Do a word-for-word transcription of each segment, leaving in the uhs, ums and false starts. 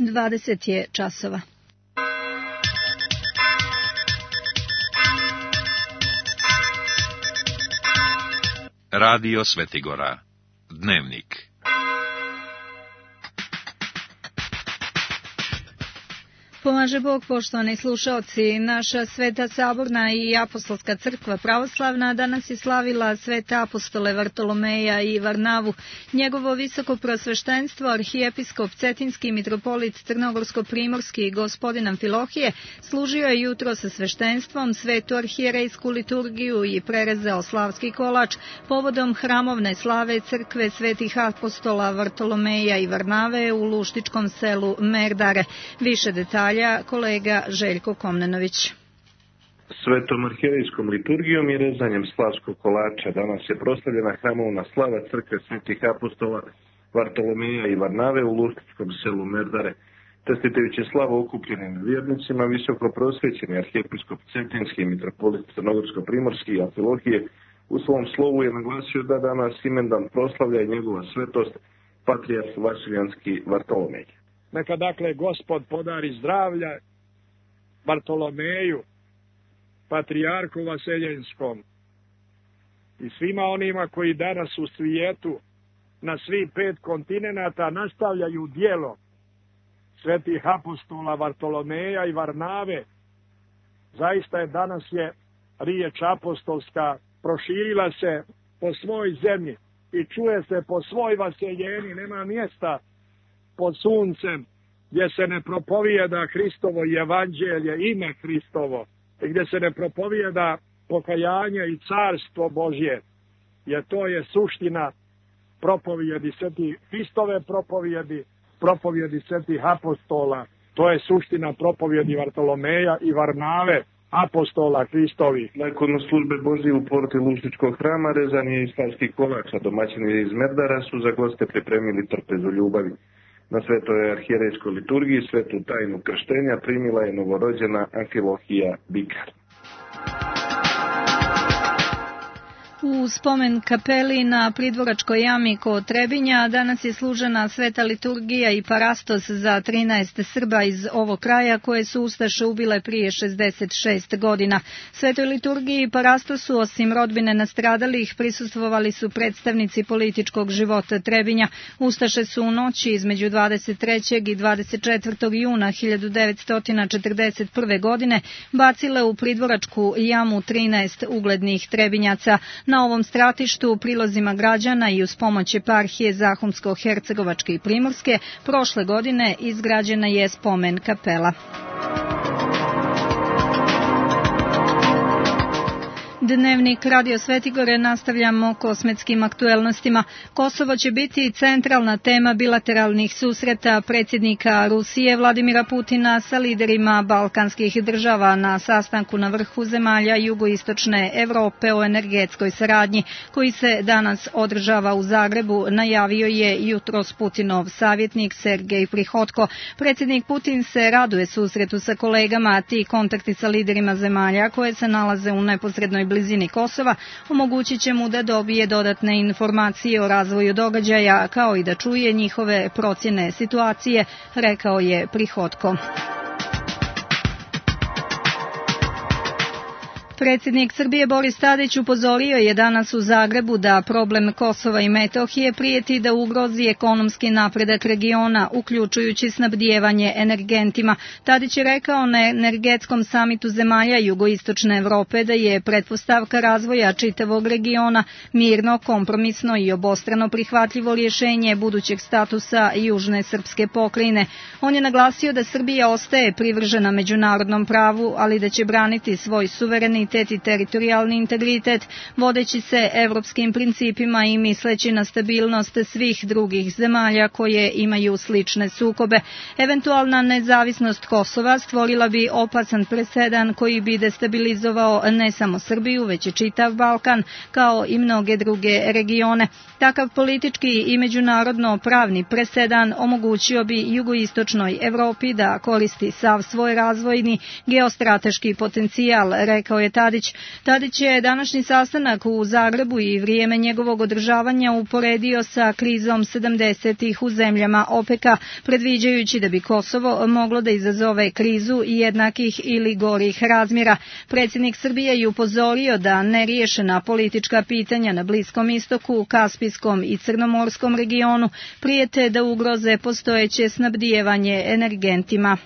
dvadeset je časova. Radio Svetigora. Dnevnik. Pomaže Bog, poštovani slušaoci. Naša Sveta Saborna i Apostolska crkva pravoslavna danas je slavila svete apostole Vartolomeja i Varnavu. Njegovo visoko prosveštenstvo, arhijepiskop Cetinski mitropolit Crnogorsko-primorski gospodin Amfilohije, služio je jutro sa sveštenstvom, svetu arhijerejsku liturgiju i prerezao slavski kolač povodom hramovne slave crkve svetih apostola Vartolomeja i Varnave u luštičkom selu Merdare. Više detalja kolega Željko Komnenović. Svetom arhijerejskom liturgijom i rezanjem slavskog kolača danas je proslavljena hramovna slava crkve svetih apostola Vartolomeja i Varnave u luštičkom selu Merdare. Čestitajući slavu okupljenim vjernicima, visoko prosvećeni arhijepiskop Cetinski mitropolit Crnogorsko-primorski i Amfilohije u svom slovu je naglasio da danas imendan proslavlja i njegova svetost patrijarh Vasiljanski Vartolomej. Neka dakle Gospod podari zdravlja Vartolomeju, patrijarhu Vaseljenskom i svima onima koji danas u svijetu na svih pet kontinenata nastavljaju djelo svetih apostola Vartolomeja i Varnave. Zaista je danas je riječ apostolska proširila se po svoj zemlji i čuje se po svoj vaseljeni, nema mjesta pod suncem gdje se ne propovijeda Hristovo evanđelje, ime Hristovo, i gdje se ne propovijeda pokajanje i carstvo Božje, jer to je suština propovijedi svetih Hristove propovijedi, propovijedi svetih apostola, to je suština propovijedi Vartolomeja i Varnave, apostola Hristovih. Nakon službe Božje u porti luštičkog hrama rezan je i slavski kolač, a domaćini iz Merdara su za goste pripremili trpezu ljubavi. Na svetoj arhijerejskoj liturgiji svetu tajnu krštenja primila je novorođena Amfilohija Bikar. U spomen kapeli na Pridvoračkoj jami kod Trebinja danas je služena sveta liturgija i parastos za trinaest Srba iz ovog kraja koje su ustaše ubile prije šezdeset šest godina. Svetoj liturgiji i parastosu osim rodbine nastradalih prisustvovali su predstavnici političkog života Trebinja. Ustaše su u noći između dvadeset trećeg i dvadeset četvrtog juna hiljadu devetsto četrdeset prve. godine bacile u Pridvoračku jamu trinaest uglednih Trebinjaca. Na ovom stratištu, prilozima građana i uz pomoć eparhije Zahumsko-Hercegovačke i Primorske, prošle godine izgrađena je spomen kapela. Dnevnik Radio Svetigore nastavljamo kosmetskim aktuelnostima. Kosovo će biti centralna tema bilateralnih susreta predsjednika Rusije Vladimira Putina sa liderima balkanskih država na sastanku na vrhu zemalja jugoistočne Evrope o energetskoj saradnji, koji se danas održava u Zagrebu, najavio je jutros Putinov savjetnik Sergej Prihodko. Predsjednik Putin se raduje susretu sa kolegama, a ti kontakti sa liderima zemalja koje se nalaze u neposrednoj blizini Kosova omogućit će mu da dobije dodatne informacije o razvoju događaja, kao i da čuje njihove procjene situacije, rekao je Prihodko. Predsjednik Srbije Boris Tadić upozorio je danas u Zagrebu da problem Kosova i Metohije prijeti da ugrozi ekonomski napredak regiona, uključujući snabdijevanje energentima. Tadić je rekao na energetskom samitu zemalja jugoistočne Evrope da je pretpostavka razvoja čitavog regiona mirno, kompromisno i obostrano prihvatljivo rješenje budućeg statusa južne srpske pokrajine. On je naglasio da Srbija ostaje privržena međunarodnom pravu, ali da će braniti svoj suverenitet i teritorijalni integritet, vodeći se evropskim principima i misleći na stabilnost svih drugih zemalja koje imaju slične sukobe. Eventualna nezavisnost Kosova stvorila bi opasan presedan koji bi destabilizovao ne samo Srbiju, već i čitav Balkan, kao i mnoge druge regione. Takav politički i međunarodno pravni presedan omogućio bi jugoistočnoj Evropi da koristi sav svoj razvojni geostrateški potencijal, rekao je Tadić. Tadić je današnji sastanak u Zagrebu i vrijeme njegovog održavanja uporedio sa krizom sedamdesetih u zemljama OPEC-a, predviđajući da bi Kosovo moglo da izazove krizu jednakih ili gorih razmjera. Predsjednik Srbije je upozorio da neriješena politička pitanja na Bliskom istoku, Kaspijskom i Crnomorskom regionu prijete da ugroze postojeće snabdijevanje energentima.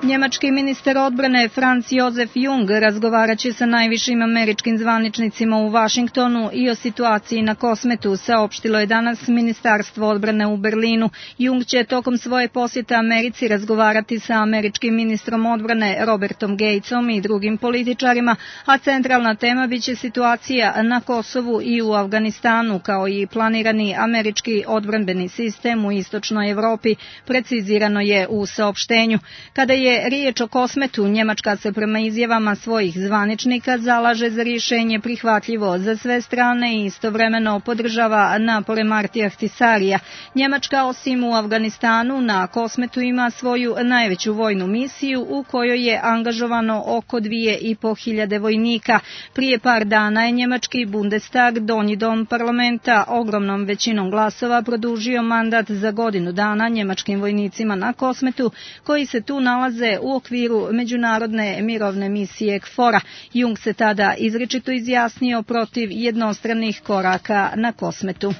Njemački ministar odbrane Franz Josef Jung razgovarat će sa najvišim američkim zvaničnicima u Vašingtonu i o situaciji na Kosmetu, saopštilo je danas Ministarstvo odbrane u Berlinu. Jung će tokom svoje posjete Americi razgovarati sa američkim ministrom odbrane Robertom Gatesom i drugim političarima, a centralna tema biće situacija na Kosovu i u Afganistanu, kao i planirani američki odbrambeni sistem u istočnoj Evropi, precizirano je u saopštenju. Kada je riječ o Kosmetu, Njemačka se prema izjavama svojih zvaničnika zalaže za rješenje prihvatljivo za sve strane i istovremeno podržava napore Martija Ahtisarija. Njemačka osim u Afganistanu na Kosmetu ima svoju najveću vojnu misiju u kojoj je angažovano oko dvije i po hiljade vojnika. Prije par dana je njemački Bundestag, donji dom parlamenta, ogromnom većinom glasova produžio mandat za godinu dana njemačkim vojnicima na Kosmetu, koji se tu nalaze u okviru međunarodne mirovne misije K F O R-a. Jung se tada izričito izjasnio protiv jednostranih koraka na Kosmetu.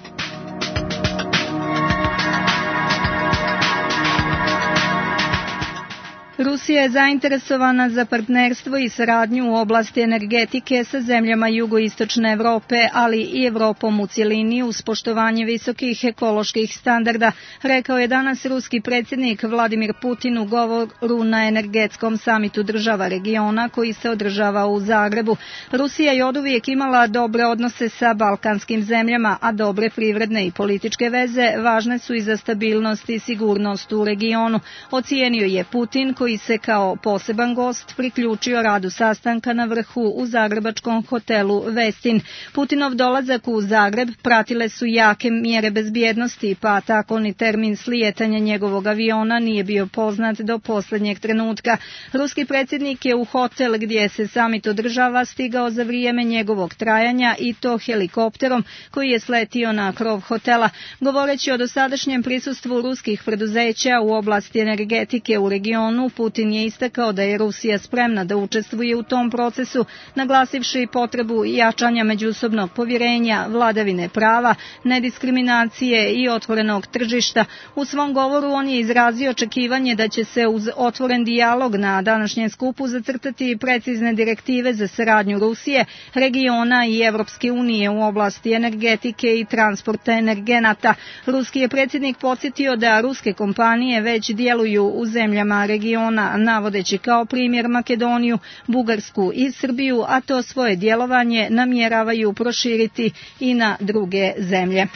Rusija je zainteresovana za partnerstvo i saradnju u oblasti energetike sa zemljama jugoistočne Evrope, ali i Evropom u cjelini uz poštovanje visokih ekoloških standarda, rekao je danas ruski predsjednik Vladimir Putin u govoru na energetskom samitu država regiona koji se održava u Zagrebu. Rusija je oduvijek imala dobre odnose sa balkanskim zemljama, a dobre privredne i političke veze važne su i za stabilnost i sigurnost u regionu, ocijenio je Putin, koji se kao poseban gost priključio radu sastanka na vrhu u zagrebačkom hotelu Vestin. Putinov dolazak u Zagreb pratile su jake mjere bezbjednosti, pa tako ni termin slijetanja njegovog aviona nije bio poznat do posljednjeg trenutka. Ruski predsjednik je u hotel gdje se samit održava stigao za vrijeme njegovog trajanja i to helikopterom koji je sletio na krov hotela. Govoreći o dosadašnjem prisustvu ruskih preduzeća u oblasti energetike u regionu, Putin je istakao da je Rusija spremna da učestvuje u tom procesu, naglasivši potrebu jačanja međusobnog povjerenja, vladavine prava, nediskriminacije i otvorenog tržišta. U svom govoru on je izrazio očekivanje da će se uz otvoren dijalog na današnjem skupu zacrtati precizne direktive za saradnju Rusije, regiona i Evropske unije u oblasti energetike i transporta energenata. Ruski je predsjednik podsjetio da ruske kompanije već djeluju u zemljama regiona, navodeći kao primjer Makedoniju, Bugarsku i Srbiju, a to svoje djelovanje namjeravaju proširiti i na druge zemlje.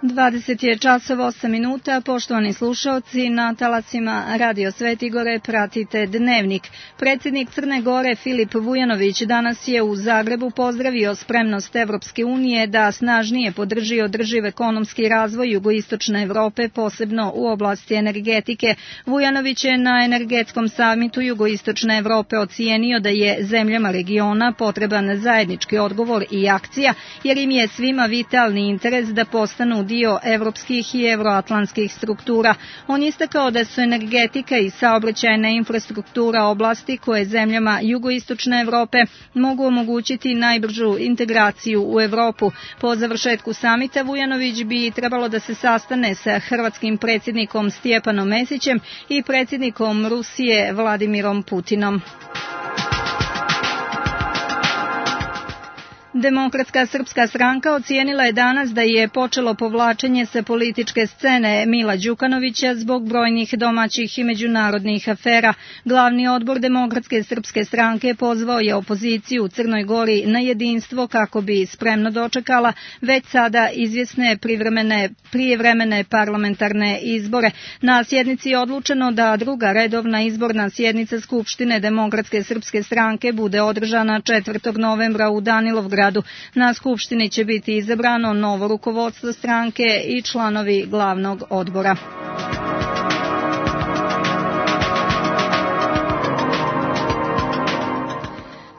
dvadeset je časova osam minuta, poštovani slušalci, na talasima Radio Sveti Gore pratite Dnevnik. Predsjednik Crne Gore Filip Vujanović danas je u Zagrebu pozdravio spremnost Evropske unije da snažnije podrži održiv ekonomski razvoj jugoistočne Evrope, posebno u oblasti energetike. Vujanović je na energetskom samitu jugoistočne Evrope ocijenio da je zemljama regiona potreban zajednički odgovor i akcija, jer im je svima vitalni interes da postanu dio evropskih i euroatlantskih struktura. On je istakao da su energetika i saobraćajna infrastruktura oblasti koje zemljama jugoistočne Evrope mogu omogućiti najbržu integraciju u Evropu. Po završetku samita Vujanović bi trebalo da se sastane sa hrvatskim predsjednikom Stjepanom Mesićem i predsjednikom Rusije Vladimirom Putinom. Demokratska srpska stranka ocijenila je danas da je počelo povlačenje sa političke scene Mila Đukanovića zbog brojnih domaćih i međunarodnih afera. Glavni odbor Demokratske srpske stranke pozvao je opoziciju u Crnoj Gori na jedinstvo kako bi spremno dočekala već sada izvjesne privremene, prijevremene parlamentarne izbore. Na sjednici je odlučeno da druga redovna izborna sjednica Skupštine Demokratske srpske stranke bude održana četvrtog novembra u Danilovgradu. Na Skupštini će biti izabrano novo rukovodstvo stranke i članovi glavnog odbora.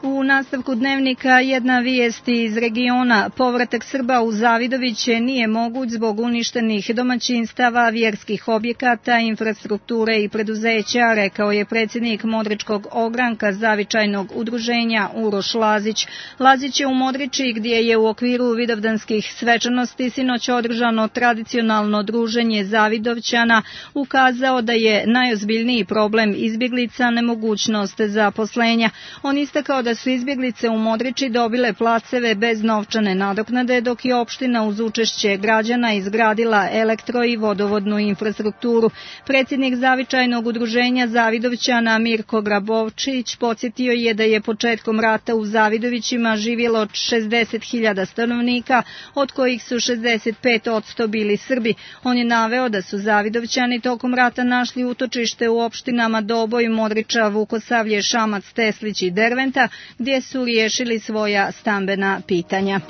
U nastavku dnevnika jedna vijest iz regiona. Povratak Srba u Zavidoviće nije moguć zbog uništenih domaćinstava, vjerskih objekata, infrastrukture i preduzeća, rekao je predsjednik Modričkog ogranka Zavičajnog udruženja Uroš Lazić. Lazić je u Modriči, gdje je u okviru vidovdanskih svečanosti sinoć održano tradicionalno druženje Zavidovćana, ukazao da je najozbiljniji problem izbjeglica nemogućnost zaposlenja. On istakao da su izbjeglice u Modriči dobile placeve bez novčane nadoknade, dok je opština uz učešće građana izgradila elektro i vodovodnu infrastrukturu. Predsjednik Zavičajnog udruženja Zavidovćana Mirko Grabovčić podsjetio je da je početkom rata u Zavidovićima živjelo šezdeset hiljada stanovnika, od kojih su šezdeset pet posto bili Srbi. On je naveo da su Zavidovćani tokom rata našli utočište u opštinama Doboj, Modriča, Vukosavlje, Šamac, Teslić i Derventa, gdje su riješili svoja stambena pitanja.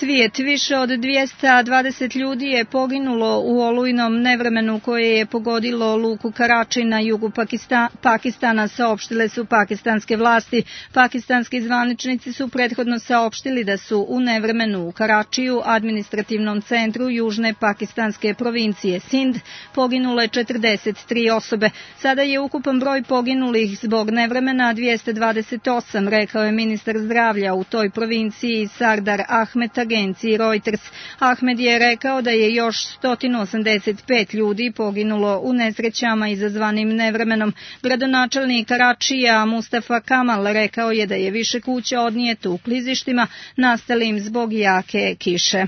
Svijet, više od dvjesto dvadeset ljudi je poginulo u olujnom nevremenu koje je pogodilo luku Karači na jugu Pakistan, Pakistana, saopštile su pakistanske vlasti. Pakistanski zvaničnici su prethodno saopštili da su u nevremenu u Karačiju, administrativnom centru južne pakistanske provincije Sind, poginule četrdeset tri osobe. Sada je ukupan broj poginulih zbog nevremena dvjesto dvadeset osam, rekao je ministar zdravlja u toj provinciji Sardar Ahmed agenciji Reuters. Ahmed je rekao da je još sto osamdeset pet ljudi poginulo u nesrećama izazvanim nevremenom. Gradonačelnik Karačija Mustafa Kamal rekao je da je više kuća odnijeto u klizištima nastalim zbog jake kiše.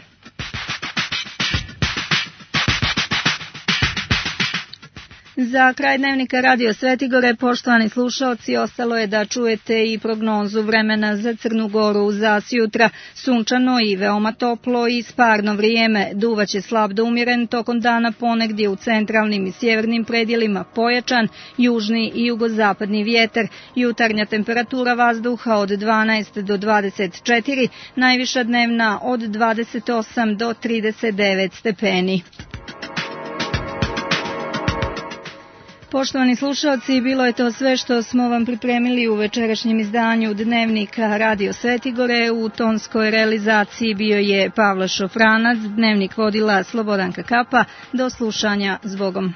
Za kraj dnevnika Radio Svetigore, poštovani slušalci, ostalo je da čujete i prognozu vremena za Crnu Goru za sjutra. Sunčano i veoma toplo i sparno vrijeme. Duvaće slab do umjeren tokom dana, ponegdje u centralnim i sjevernim predjelima pojačan južni i jugozapadni vjetar. Jutarnja temperatura vazduha od dvanaest do dvadeset četiri, najviša dnevna od dvadeset osam do trideset devet stepeni. Poštovani slušalci, bilo je to sve što smo vam pripremili u večerašnjem izdanju Dnevnika Radio Svetigore. U tonskoj realizaciji bio je Pavle Šofranac, Dnevnik vodila Slobodanka Kapa. Do slušanja, zbogom.